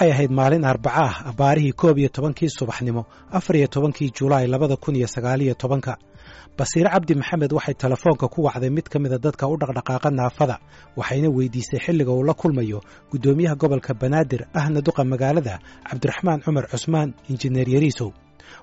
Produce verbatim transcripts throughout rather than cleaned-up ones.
Waxay ahayd maalin Arbaca ah, abbaarihii koob iyo tobankii subaxnimo, afar iyo tobankii Julaay labada kun iyo sagaal iyo tobanka. Basiire Cabdi Maxamed waxay telefoonka ku wacday mid ka mida dadka u dhaqdhaqaaqa naafada, waxayna weydiisay xilliga uu la kulmayo guddoomiyaha gobolka Banaadir ahna duqa magaalada, Cabdiraxmaan Cumar Cusmaan Injineer Yariisow.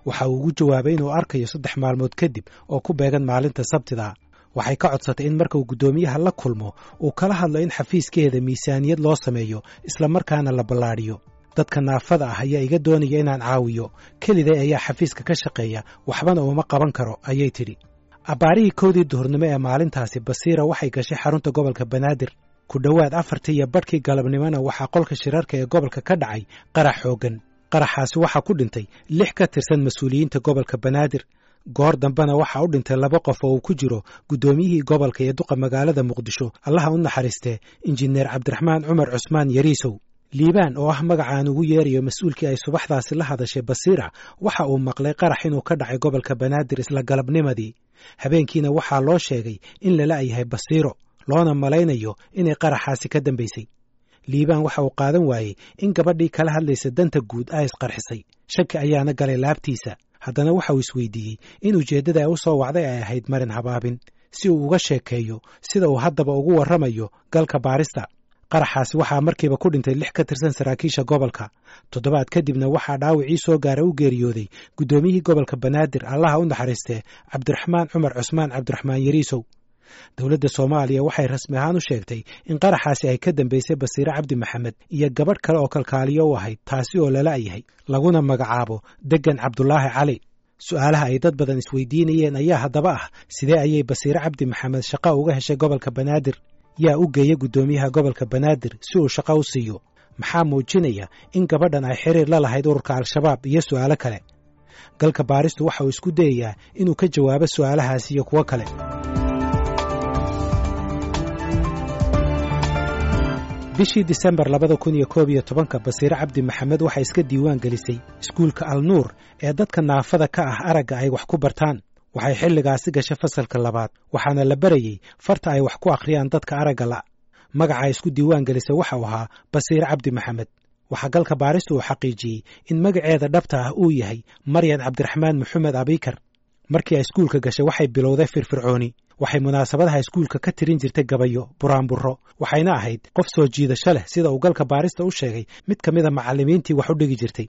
Waxa uu ugu jawaabay inuu arkayo saddex maalmood kadib oo ku beegan maalinta Sabtida. Waxay ka codsatay in marka uu guddoomiyaha la kulmo uu kala hadlo in xafiiskeeda miisaaniyad loo sameeyo, isla markaana la ballaadhiyo. Dadka naafada ah ayaa iga doonaya inaan caawiyo, keliday ayaa xafiiska ka shaqeeya, waxbana uma qaban karo, ayay tidhi. Abbaarihii kowdii duhurnimo ee maalintaasi Basiira waxay gashay xarunta gobolka Banaadir. Ku dhowaad afartii iyo badhkii galabnimona waxaa qolka shirarka ee gobolka ka dhacay qarax xooggan. Qaraxaasi waxaa ku dhintay lix ka tirsan mas-uuliyiinta gobolka Banaadir. Goor dambena waxaa u dhintay laba qof oo uu ku jiro guddoomiyihii gobolka iyo duqa magaalada Muqdisho, Allaha u naxariistee, Injineer Cabdiraxmaan Cumar Cusmaan Yariisow. Liibaan oo ah magacaan ugu yeerayo mas-uulkii ay subaxdaasi la hadashay Basiira, waxa uu maqlay qarax inuu ka dhacay gobolka Banaadir isla galabnimadii. Habeenkiina waxaa loo sheegay in lala yahay Basiiro, loona malaynayo inay qaraxaasi ka dambaysay. Liibaan waxa uu qaadan waayey in gabadhii kala hadlaysa danta guud ay isqarxisay. Shaki ayaana galay laabtiisa. Haddana waxa uu isweydiiyey in ujeeddada ay u soo wacday ay ahayd marin habaabin, si uu uga sheekeeyo sida uu haddaba ugu warramayo galka baarista. Qaraxaasi waxaa markiiba ku dhintay lix ka tirsan saraakiisha gobolka. Toddobaad kadibna waxaa dhaawacii soo gaara u geeriyooday guddoomiyihii gobolka Banaadir, Allaha u naxariistee, Cabdiraxmaan Cumar Cusmaan Cabdiraxmaan Yariisow. Dowladda Soomaaliya waxay rasmi ahaan u sheegtay in qaraxaasi ay ka dambaysay Basiire Cabdi Maxamed iyo gabadh kale oo kalkaaliyo u ahayd, taasi oo lala yahay, laguna magacaabo Degan Cabdulaahi Cali. Su'aalaha ay dad badan isweydiinayeen ayaa haddaba ah: sidee ayay Basiire Cabdi Maxamed shaqo uga heshay gobolka Banaadir? Yaa u geeya guddoomiyaha gobolka Banaadir si uu shaqo u siiyo? Maxaa muujinaya in gabadhan ay xiriir la lahayd ururka Al-Shabaab, iyo su'aalo kale? Galka baaristu waxa uu isku dayayaa inuu ka jawaabo su'aalahaasi iyo kuwo kale. Bishii Disembar labada kun iyo koob iyo tobanka Basiire Cabdi Maxamed waxay iska diiwaan gelisay iskuulka Alnuur ee dadka naafada ka ah aragga ay wax ku bartaan. Waxay xilligaasi gashay fasalka labaad, waxaana la barayey farta ay wax ku akhriyaan dadka aragga la'. Magaca ay isku diiwaan gelisay waxa uu ahaa Basiire Cabdi Maxamed. Waxaa galka baaristu uu xaqiijiyey in magaceeda dhabta ah uu yahay Maryan Cabdiraxmaan Maxamed Abiikar. Markii ay iskuulka gashay waxay bilowday firfircooni. Waxay munaasabadaha iskuulka ka tirin jirtay gabayo, buraanburro, waxayna ahayd qof soo jiidasho leh, sida uu galka baarista u sheegay mid ka mida macallimiintii wax u dhigi jirtay.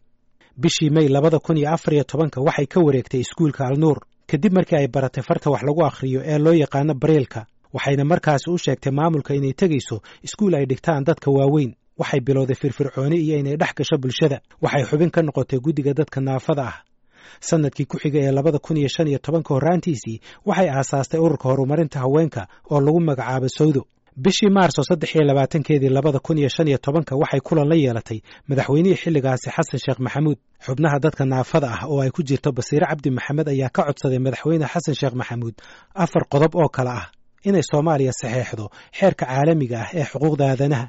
Bishii May labada kun iyo afar iyo tobanka waxay ka wareegtay iskuulka Alnuur kadib markii ay baratay farta wax lagu akhriyo ee loo yaqaano bareelka, waxayna markaasi u sheegtay maamulka inay tegayso iskuul ay dhigtaan dadka waaweyn. Waxay bilowday firfircooni iyo inay dhex gasho bulshada. Waxay xubin ka noqotay guddiga dadka naafada ah. Sanadkii ku xiga ee labada kun iyo shan iyo tobanka horraantiisii waxay aasaastay ururka horumarinta haweenka oo lagu magacaabo Sawdo. Bishii Maarso saddex iyo labaatankeedii labada kun iyo shan iyo tobanka waxay kulan la yeelatay madaxweynihii xilligaasi, Xasan Sheekh Maxamuud. Xubnaha dadka naafada ah oo ay ku jirto Basiire Cabdi Maxamed ayaa ka codsaday madaxweyne Xasan Sheekh Maxamuud afar qodob oo kale ah: inay Soomaaliya saxeexdo xeerka caalamiga ah ee xuquuqda aadanaha,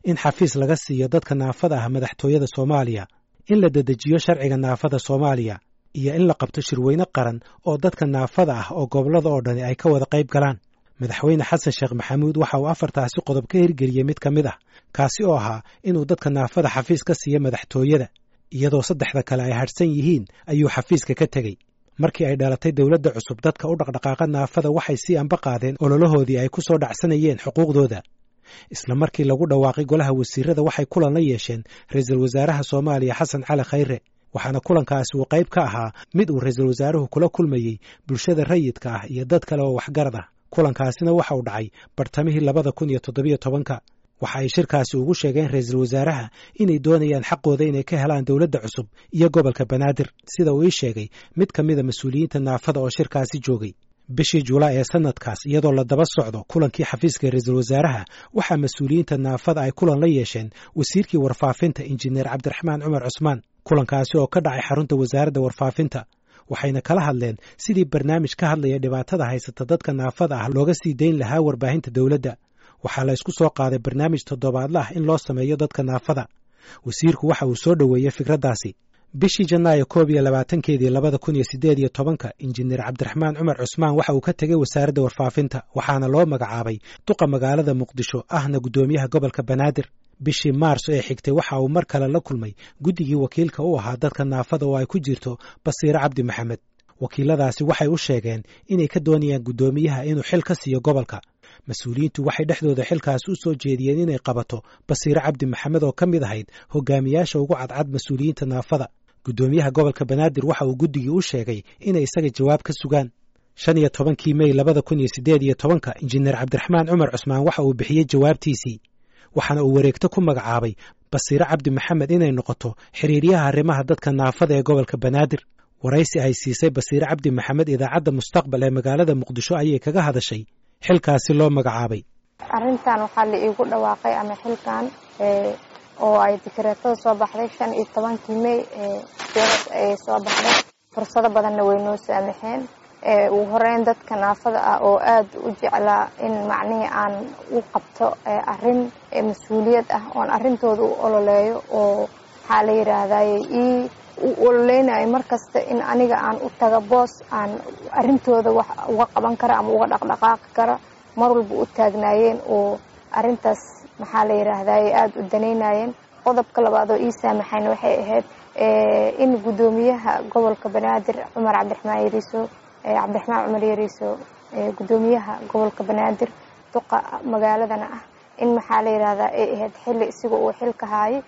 in xafiis laga siiyo dadka naafada ah madaxtooyada Soomaaliya, in la dedejiyo sharciga naafada Soomaaliya, iyo in la qabto shirweyne qaran oo dadka naafada ah oo gobollada oo dhani ay ka wada qayb galaan. Madaxweyne Xasan Sheekh Maxamuud waxa uu afartaasi qodob ka hirgeliyey mid ka mid ah, kaasi oo ahaa inuu dadka naafada xafiis ka siiyo madaxtooyada. Iyadoo saddexda kale ay hadhsan yihiin ayuu xafiiska ka tegey. Markii ay dhalatay dowladda cusub, dadka u dhaqdhaqaaqa naafada waxay sii amba qaadeen ololahoodii ay ku soo dhacsanayeen xuquuqdooda. Isla markii lagu dhawaaqay golaha wasiirada waxay kulan la yeesheen ra-iisul wasaaraha Soomaaliya, Xasan Cali Khayre, waxaana kulankaasi uu qayb ka ahaa mid uu ra-iisul wasaaruhu kula kulmayey bulshada rayidka ah iyo dad kale oo waxgarad ah. Kulankaasina waxa uu dhacay bartamihii labada kun iyo toddobiyo tobanka. Waxa ay shirkaasi ugu sheegeen ra-iisul wasaaraha inay doonayaan xaqooda inay ka helaan dowladda cusub iyo gobolka Banaadir, sida uu ii sheegay mid ka mida mas-uuliyiinta naafada oo shirkaasi joogay. Bishii Julaay ee sanadkaas, iyadoo la daba socdo kulankii xafiiska ra-iisul wasaaraha, waxaa mas-uuliyiinta naafada ay kulan la yeesheen wasiirkii warfaafinta, Injineer Cabdiraxmaan Cumar Cusmaan, kulankaasi oo ka dhacay xarunta wasaaradda warfaafinta, waxayna kala hadleen sidii barnaamij ka hadlaya dhibaatada haysata dadka naafada ah looga sii dayn lahaa warbaahinta dowladda. Waxaa la isku soo qaaday barnaamij toddobaadla ah in loo sameeyo dadka naafada. Wasiirku waxa uu soo dhoweeyey fikraddaasi. Bishii Janaayo koob iyo labaatankeedii labada kun iyo siddeed iyo tobanka, Injineer Cabdiraxmaan Cumar Cusmaan waxa uu ka tegey wasaaradda warfaafinta, waxaana loo magacaabay duqa magaalada Muqdisho ahna guddoomiyaha gobolka Banaadir. Bishii Maarso ee xigtay waxa uu mar kale la kulmay guddigii wakiilka u ahaa dadka naafada oo ay ku jirto Basiire Cabdi Maxamed. Wakiiladaasi waxay u sheegeen inay ka doonayaan guddoomiyaha inuu xil ka siiyo gobolka. Mas-uuliyiintu waxay dhexdooda xilkaas u soo jeediyeen inay qabato Basiire Cabdi Maxamed oo ka mid ahayd hogaamiyaasha ugu cadcad mas-uuliyiinta naafada. Guddoomiyaha gobolka Banaadir waxa uu guddigii u sheegay inay isaga jawaab ka sugaan. Shan iyo tobankii Mey labada kun iyo siddeed iyo tobanka, Injineer Cabdiraxmaan Cumar Cusmaan waxa uu bixiyey jawaabtiisii, waxaana uu wareegto ku magacaabay Basiire Cabdi Maxamed inay noqoto xiriiryaha arrimaha dadka naafada ee gobolka Banaadir. Waraysi ay siisay Basiire Cabdi Maxamed idaacadda Mustaqbal ee magaalada Muqdisho ayay kaga hadashay xilkaasi loo magacaabay. Arrintan waxaa la iigu dhawaaqay ama xilkan oo ay dikreetada soo baxday shan iyo tobankii Mey ee soo baxday. Fursado badanna way noo saamaxeen. Ugu horeyn dadka naafada ah oo aad u jeclaa in macnihii aan u qabto arrin mas-uuliyad ah oon arrintooda u ololeeyo oo waxaa la yidhaahdaye ii u ololeynayo markasta in aniga aan u taga boos aan arrintooda wax uga qaban kara ama uga dhaqdhaqaaqi kara, mar walba u taagnaayeen oo arrintaas maxaa la yidhaahdaye aada u danaynayeen. Qodobka labaad oo ii saamaxayna waxay ahayd in guddoomiyaha gobolka Banaadir Cumar Cabdiraxmaan Yariiso, Cabdiraxmaan Cumar Yariiso, guddoomiyaha gobolka Banaadir duqa magaaladana ah, in maxaa la yidhaahdaa ay ahayd xilli isiga uu xilka haayay,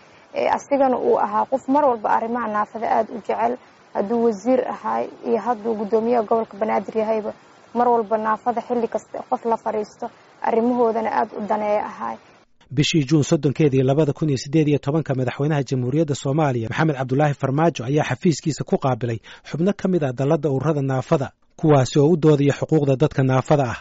asigana uu ahaa qof mar walba arrimaha naafada aada u jecel. Hadduu wasiir ahaay iyo hadduu guddoomiyaha gobolka Banaadir yahayba, mar walba naafada xilli kasta qof la fadhiisto arrimahoodana aada u daneeya ahaay. Bishii Juun soddonkeedii labada kun iyo siddeed iyo tobanka, madaxweynaha Jamhuuriyadda Soomaaliya Maxamed Cabdulaahi Farmaajo ayaa xafiiskiisa ku qaabilay xubno ka mid ah dalladda ururada naafada, kuwaasi oo u doodaya xuquuqda dadka naafada ah.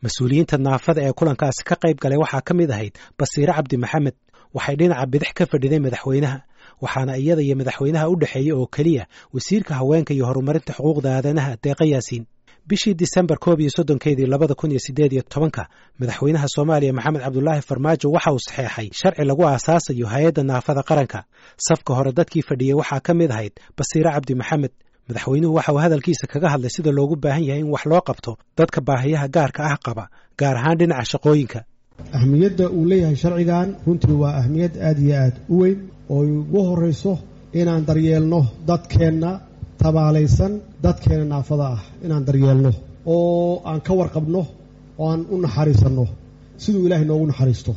Mas-uuliyiinta naafada ee kulankaasi ka qayb galay waxaa ka mid ahayd Basiire Cabdi Maxamed. Waxay dhinaca bidix ka fadhiday madaxweynaha, waxaana iyada iyo madaxweynaha u dhexeeyey oo keliya wasiirka haweenka iyo horumarinta xuquuqda aadanaha Deeqa Yaasiin. Bishii Disembar koob iyo soddonkeedii labada kun iyo siddeed iyo tobanka, madaxweynaha Soomaaliya Maxamed Cabdulaahi Farmaajo waxa uu saxeexay sharci lagu aasaasayo hay-adda naafada qaranka. Safka hore dadkii fadhiyey waxaa ka mid ahayd Basiire Cabdi Maxamed. Madaxweynuhu waxa uu hadalkiisa kaga hadlay sida loogu baahan yahay in wax loo qabto dadka baahiyaha gaarka ah qaba, gaar ahaan dhinaca shaqooyinka. Ahmiyadda uu leeyahay sharcigan runtii waa ahmiyad aad iyo aad u weyn oo ugu horrayso inaan daryeelno dadkeenna tabaalaysan, dadkeena naafada ah inaan daryeelno oo aan ka warqabno oo aan u naxariisanno siduu ilaahay noogu naxariisto.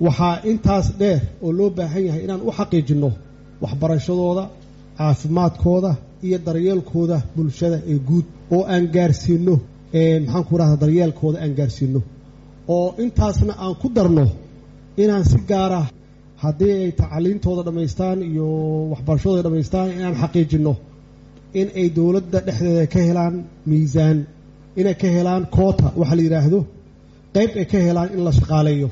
Waxaa intaas dheer oo loo baahan yahay inaan u xaqiijinno waxbarashadooda, caafimaadkooda iyo daryeelkooda bulshada ee guud oo aan gaarsiinno, maxaan ku rahda, daryeelkooda aan gaarsiinno, oo intaasna aan ku darno inaan si gaara haddii ay tacaliintooda dhammaystaan iyo waxbarashadooda dhammaystaan inaan xaqiijinno in ay dowladda dhexdeeda ka helaan miisaan, inay ka helaan koota waxa la yidhaahdo, qayb ay ka helaan in la shaqaaleeyo.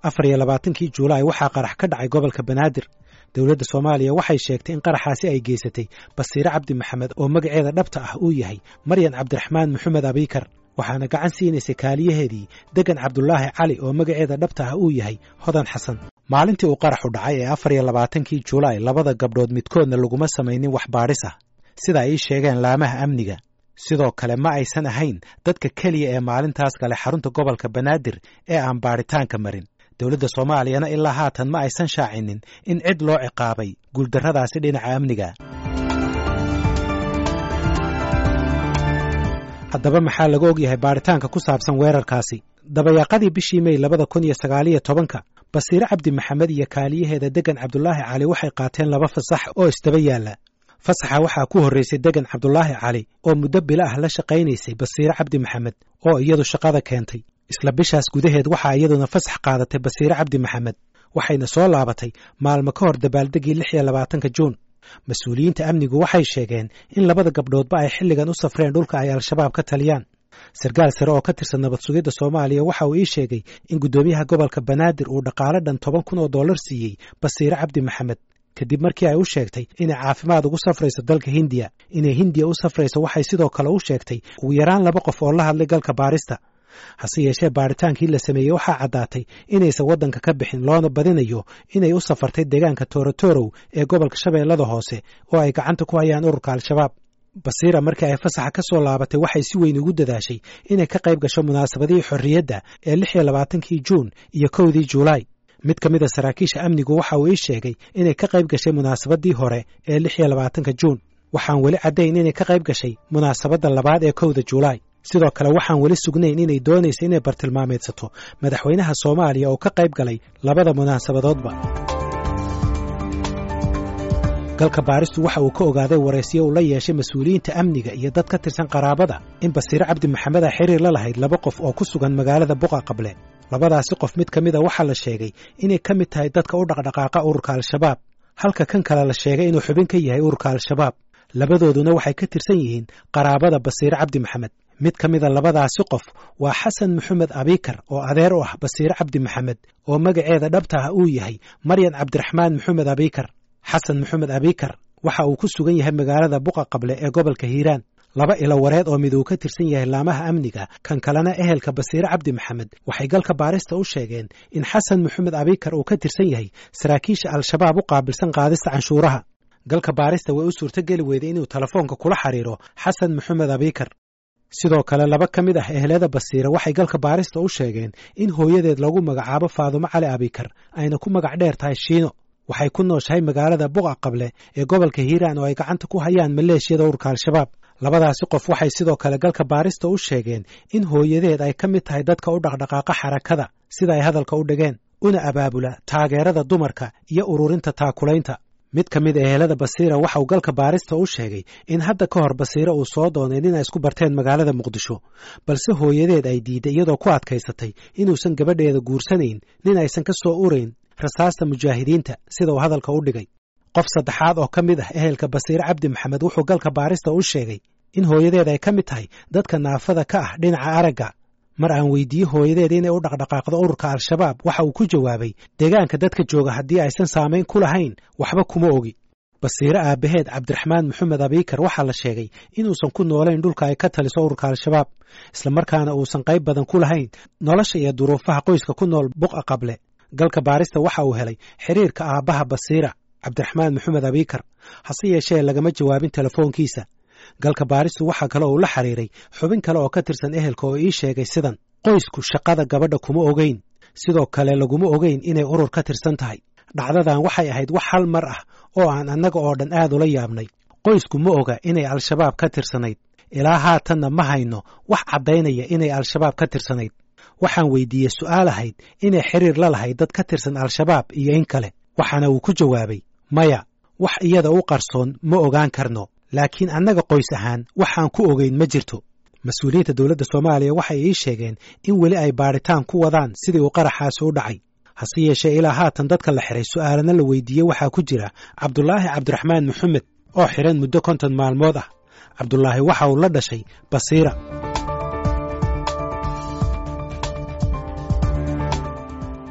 Afar iyo labaatankii Juulaay waxaa qarax ka dhacay gobolka Banaadir. Dowladda Soomaaliya waxay sheegtay in qaraxaasi ay geysatay Basiire Cabdi Maxamed oo magaceeda dhabta ah uu yahay Maryan Cabdiraxmaan Maxamed Abiikar, waxaana gacan siinaysay kaaliyaheedii Degan Cabdulaahi Cali oo magaceeda dhabta ah uu yahay Hodan Xasan. Maalintii uu qaraxu dhacay ee afar iyo labaatankii Juulaay, labada gabdhood midkoodna laguma samaynin wax baadhis ah sida ay ii sheegeen laamaha amniga. Sidoo kale ma aysan ahayn dadka keliya ee maalintaas galay xarunta gobolka Banaadir ee aan baadhitaanka marin. Dowladda Soomaaliyana ilaa haatan ma aysan shaacinin in cid loo ciqaabay guuldarradaasi dhinaca amniga. Haddaba maxaa laga ogyahay baadhitaanka ku saabsan weerarkaasi? Dabayaaqadii bishii Mey labada kun iyo sagaaliyo tobanka, Basiire Cabdi Maxamed iyo kaaliyaheeda Degan Cabdulaahi Cali waxay qaateen laba fasax oo isdaba yaalla. Fasaxa waxaa ku horraysay Degan Cabdulaahi Cali oo muddo bilo ah la shaqaynaysay Basiire Cabdi Maxamed oo iyadu shaqada keentay. Isla bishaas gudaheed waxaa iyaduna fasax qaadatay Basiire Cabdi Maxamed, waxayna soo laabatay maalmo ka hor dabaaldegii lix iyo labaatanka Juun. Mas-uuliyiinta amnigu waxay sheegeen in labada gabdhoodba ay xilligan u safreen dhulka ay Al-Shabaab ka taliyaan. Sarkaal sare oo ka tirsan nabad sugidda Soomaaliya waxa uu ii sheegay in guddoomiyaha gobolka Banaadir uu dhaqaale dhan toban kun oo dollar siiyey Basiire Cabdi Maxamed kadib markii ay u sheegtay inay caafimaad ugu safrayso dalka Hindiya. Inay Hindiya u safrayso waxay sidoo kale u sheegtay ugu yaraan laba qof oo la hadlay galka baarista. Hase yeeshee baaritaankii la sameeyey waxaa caddaatay inaysan waddanka ka bixin, loona badinayo inay u safartay deegaanka Toorotorow ee gobolka Shabeellada Hoose oo ay gacanta ku hayaan ururka Al-Shabaab. Basiira markii ay fasaxa ka soo laabatay waxay si weyn ugu dadaashay inay ka qayb gasho munaasabadihii xorriyadda ee lix iyo labaatankii Juun iyo kowdii Juulaay. Mid ka mid a saraakiisha amnigu waxa uu ii sheegay inay ka qayb gashay munaasabadii hore ee lix iyo labaatanka Juun. Waxaan weli caddayn inay ka qayb gashay munaasabadda labaad ee kowda Juulaay. Sidoo kale waxaan weli sugnayn inay doonaysa inay bartilmaameedsato madaxweynaha Soomaaliya oo ka qayb galay labada munaasabadoodba. Galka baaristu waxa uu ka ogaaday waraysiyo uu la yeeshay mas-uuliyiinta amniga iyo dad ka tirsan qaraabada in Basiire Cabdi Maxamed ay xiriir la lahayd laba qof oo ku sugan magaalada Buqa Qable. Labadaasi qof mid ka mid a waxaa la sheegay inay ka mid tahay dadka u dhaqdhaqaaqa ururka Al-Shabaab, halka kan kale la sheegay inuu xubin ka yahay ururka Al-Shabaab. Labadooduna waxay ka tirsan yihiin qaraabada Basiire Cabdi Maxamed. Mid ka mida labadaasi qof waa Xasan Maxamed Abiikar oo adeer u ah Basiire Cabdi Maxamed oo magaceeda dhabta ah uu yahay Maryan Cabdiraxmaan Maxamed Abiikar. Xasan Maxamed Abiikar waxa uu ku sugan yahay magaalada Buqa Qable ee gobolka Hiiraan. Laba ilo wareed oo mid uu ka tirsan yahay laamaha amniga, kan kalena ehelka Basiire Cabdi Maxamed, waxay galka baarista u sheegeen in Xasan Maxamed Abiikar uu ka tirsan yahay saraakiisha Al-Shabaab u qaabilsan qaadista canshuuraha. Galka baarista way u suurtogeli weyday inuu telefoonka kula xiriiro Xasan Maxamed Abiikar. Sidoo kale laba ka mid ah ehelada Basiire waxay galka baarista u sheegeen in hooyadeed lagu magacaabo Faadumo Cali Abiikar, ayna ku magac dheer tahay Shiino. Waxay ku nooshahay magaalada Buqa Qable ee gobolka Hiiraan oo ay gacanta ku hayaan maleeshiyada ururka Al-Shabaab. Labadaasi qof waxay sidoo kale galka baarista u sheegeen in hooyadeed ay ka mid tahay dadka u dhaqdhaqaaqa xarakada, sida ay hadalka u dhigeen, una abaabula taageerada dumarka iyo ururinta taakulaynta. Mid ka mid ehelada Basiira waxa uu galka baarista u sheegay in hadda ka hor Basiire uu soo doonay nin ay isku barteen magaalada Muqdisho, balse hooyadeed ay diiday iyadoo ku adkaysatay inuusan gabadheeda guursanayn nin aysan ka soo urayn rasaasta mujaahidiinta, sida uu hadalka u dhigay. Qof saddexaad oo ka mid ah ehelka Basiire Cabdi Maxamed wuxuu galka baarista u sheegay in hooyadeed ay ka mid tahay dadka naafada ka ah dhinaca aragga. Mar aan weydiiyey hooyadeed inay u dhaqdhaqaaqdo ururka Al-Shabaab, waxa uu ku jawaabay deegaanka dadka jooga haddii aysan saamayn ku lahayn waxba kuma ogi. Basiire aabbaheed Cabdiraxmaan Maxamed Abiikar waxaa la sheegay inuusan ku noolayn dhulka ay ka taliso ururka Al-Shabaab, islamarkaana uusan qayb badan ku lahayn nolosha iyo duruufaha qoyska ku nool Buqa Qable. Galka baarista waxa uu helay xiriirka aabbaha Basiira, Cabdiraxmaan Maxamed Abiikar, hase yeeshee lagama jawaabin telefoonkiisa. Galka baaristu waxaa kale uu la xiriiray xubin kale oo ka tirsan ehelka oo ii sheegay sidan: qoysku shaqada gabadha kuma ogeyn, sidoo kale laguma ogeyn inay urur ka tirsan tahay. Dhacdadan waxay ahayd wax hal mar ah oo aan annaga oo dhan aad ula yaabnay. Qoysku ma oga inay Al-Shabaab ka tirsanayd, ilaa haatanna ma hayno wax caddaynaya inay Al-Shabaab ka tirsanayd. Waxaan weydiiyey su'aal ahayd inay xiriir la lahayd dad ka tirsan Al-Shabaab iyo in kale, waxaana uu ku jawaabay maya, wax iyada u qarsoon ma ogaan karno, laakiin annaga qoys ahaan waxaan ku ogeyn ma jirto. Mas-uuliyiinta dowladda Soomaaliya waxay ii sheegeen in weli ay baadhitaan ku wadaan sidii uu qaraxaasi u dhacay. Hase yeeshee ilaa haatan dadka la xiray su'aalana la weydiiyey waxaa ku jira Cabdulaahi Cabdiraxmaan Maxamed oo xiran muddo konton maalmood ah. Cabdulaahi waxa uu la dhashay Basiira.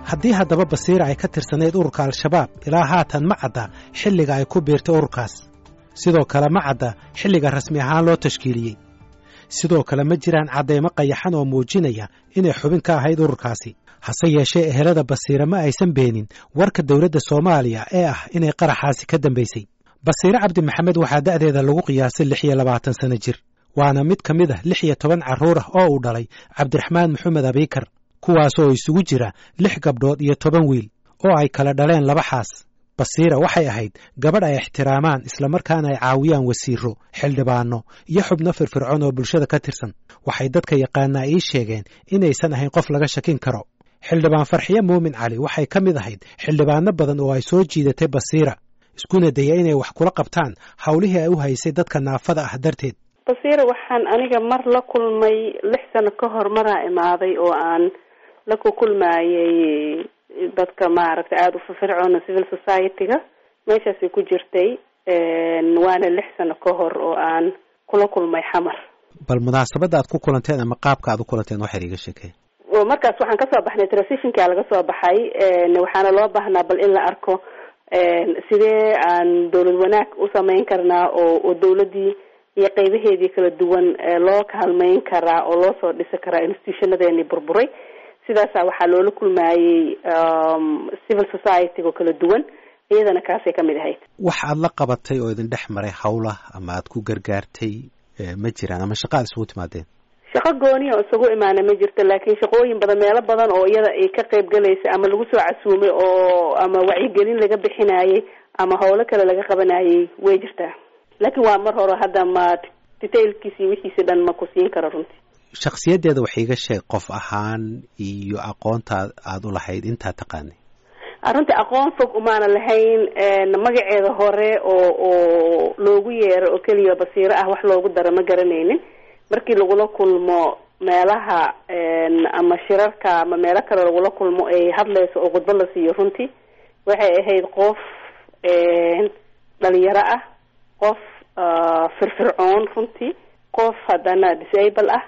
Haddii haddaba Basiira ay ka tirsanayd ururka Al-Shabaab, ilaa haatan ma cadda xilliga ay ku biirtay ururkaas. Sidoo kale ma cadda xilliga rasmi ahaan loo tashkiiliyey. Sidoo kale ma jiraan caddaymo qayaxan oo muujinaya inay xubin ka ahayd ururkaasi. Hase yeeshee ehelada Basiire ma aysan beenin warka dowladda Soomaaliya ee ah inay qaraxaasi ka dambaysay. Basiire Cabdi Maxamed waxaa da'deeda lagu qiyaasay lix iyo labaatan sano jir, waana mid ka mid ah lix iyo toban carruur ah oo uu dhalay Cabdiraxmaan Maxamed Abiikar, kuwaasoo isugu jira lix gabdhood iyo toban wiil oo ay kala dhaleen laba xaas. Basiira waxay ahayd gabadh ay ixtiraamaan islamarkaana ay caawiyaan wasiiro, xildhibaano iyo xubno firfircoon oo bulshada ka tirsan. Waxay dadka yaqaanaa ii sheegeen inaysan ahayn qof laga shakin karo. Xildhibaan Farxiye Muumin Cali waxay ka mid ahayd xildhibaano badan oo ay soo jiidatay Basiira, iskuna daya inay wax kula qabtaan howlihii ay u haysay dadka naafada ah darteed. Basiira waxaan aniga mar la kulmay lix sano ka hor maraa imaaday oo aan la ku kulmaayay dadka maaragtay aada u firfircoona civil society-ga, meeshaasay ku jirtay, waana lix sano ka hor oo aan kula kulmay Xamar. Bal munaasabadda aad ku kulanteen ama qaabka aad u kulanteen waxaad iiga sheekeen. Markaas waxaan kasoo baxnay transitionka laga soo baxay, waxaana loo baahnaa bal in la arko sidee aan dawlad wanaag u sameyn karnaa oo oo dawladdii iyo qeybaheedii kala duwan loo kaalmeyn karaa oo loo soo dhisi karaa institutionadeenii burburay. Sidaasa waxaa loola kulmaayey civil society-go kala duwan, iyadana kaasay ka mid ahayd. Wax aada la qabatay oo idin dhex maray hawlah ama aad ku gargaartay ma jiraan, ama shaqa aad isugu timaadeen? Shaqo gooniya oo isugu imaana ma jirto, laakiin shaqooyin badan, meelo badan oo iyada ay ka qayb galaysa ama lagu soo casuumay oo ama wacyigelin laga bixinayay ama howlo kale laga qabanayay way jirtaa, laakiin waa mar hore, hadda ma detailkiisi wixiisi dhan ma ku siin karo runtii. Shaksiyaddeeda wax iiga sheeg qof ahaan iyo aqoonta aada u lahayd intaa taqaanay. Runtii aqoon fog umaana lahayn, magaceeda hore oo oo loogu yeero oo keliya Basiiro ah wax loogu daro ma garanaynin. Markii lagula kulmo meelaha ama shirarka ama meelo kale lagula kulmo ay hadlayso oo khudbad la siiyo, runtii waxay ahayd qof dhalinyaro ah, qof firfircoon runtii, qof haddana disable ah,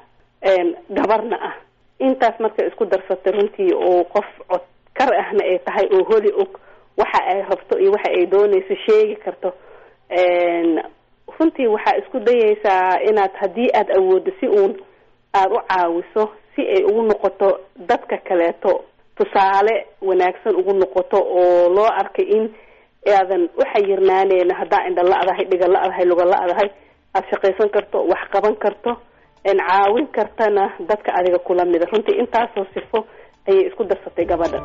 gabarna ah. Intaas markay isku darsatay runtii oo qof codkar ahna ay tahay oo holi og waxa ay rabto iyo waxa ay doonayso sheegi karto, runtii waxaa isku dayaysaa inaad haddii aada awooddo si uun aada u caawiso, si ay ugu noqoto dadka kaleeto tusaale wanaagsan ugu noqoto, oo loo arkay in aadan u xayirnaaneyna haddaa indha la-dahay, dhiga la-dahay, luga la-dahay, aada shaqaysan karto, wax qaban karto, caawin kartana dadka adiga kula mida. Runtii intaasoo sifo ayay isku darsatay gabadha.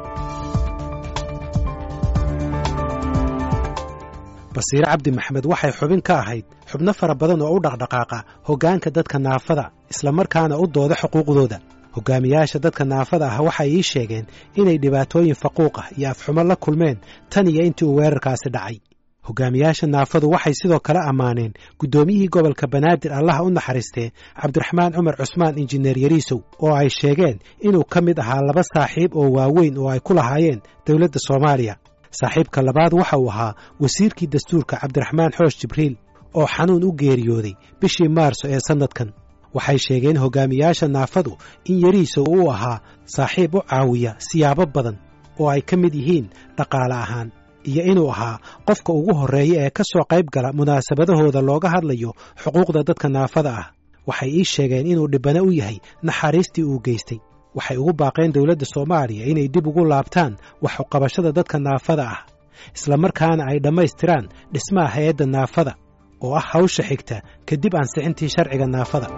Basiire Cabdi Maxamed waxay xubin ka ahayd xubno fara badan oo u dhaqdhaqaaqa hoggaanka dadka naafada, islamarkaana u dooda xuquuqdooda. Hogaamiyaasha dadka naafada ah waxay ii sheegeen inay dhibaatooyin faquuq ah iyo afxumo la kulmeen tan iyo intii uu weerarkaasi dhacay. Hogaamiyaasha naafadu waxay sidoo kale ammaaneen guddoomiyihii gobolka Banaadir, Allaha u naxariistee, Cabdiraxmaan Cumar Cusmaan Injineer Yariisow, oo ay sheegeen inuu ka mid ahaa laba saaxiib oo waaweyn oo ay ku lahaayeen dowladda Soomaaliya. Saaxiibka labaad waxa uu ahaa wasiirkii dastuurka Cabdiraxmaan Xoosh Jibriil oo xanuun u geeriyooday bishii Maarso ee sannadkan. Waxay sheegeen hogaamiyaasha naafadu in Yariisow uu ahaa saaxiib u caawiya siyaabo badan oo ay ka mid yihiin dhaqaale ahaan, iyo inuu ahaa qofka ugu horreeya ee ka soo qayb gala munaasabadahooda looga hadlayo xuquuqda dadka naafada ah. Waxay ii sheegeen inuu dhibbane u yahay naxariistii uu geystay. Waxay ugu baaqeen dowladda Soomaaliya inay dib ugu laabtaan wax uqabashada dadka naafada ah, islamarkaana ay dhammaystiraan dhismaha hay-adda naafada oo ah hawsha xigta kadib ansixintii sharciga naafada.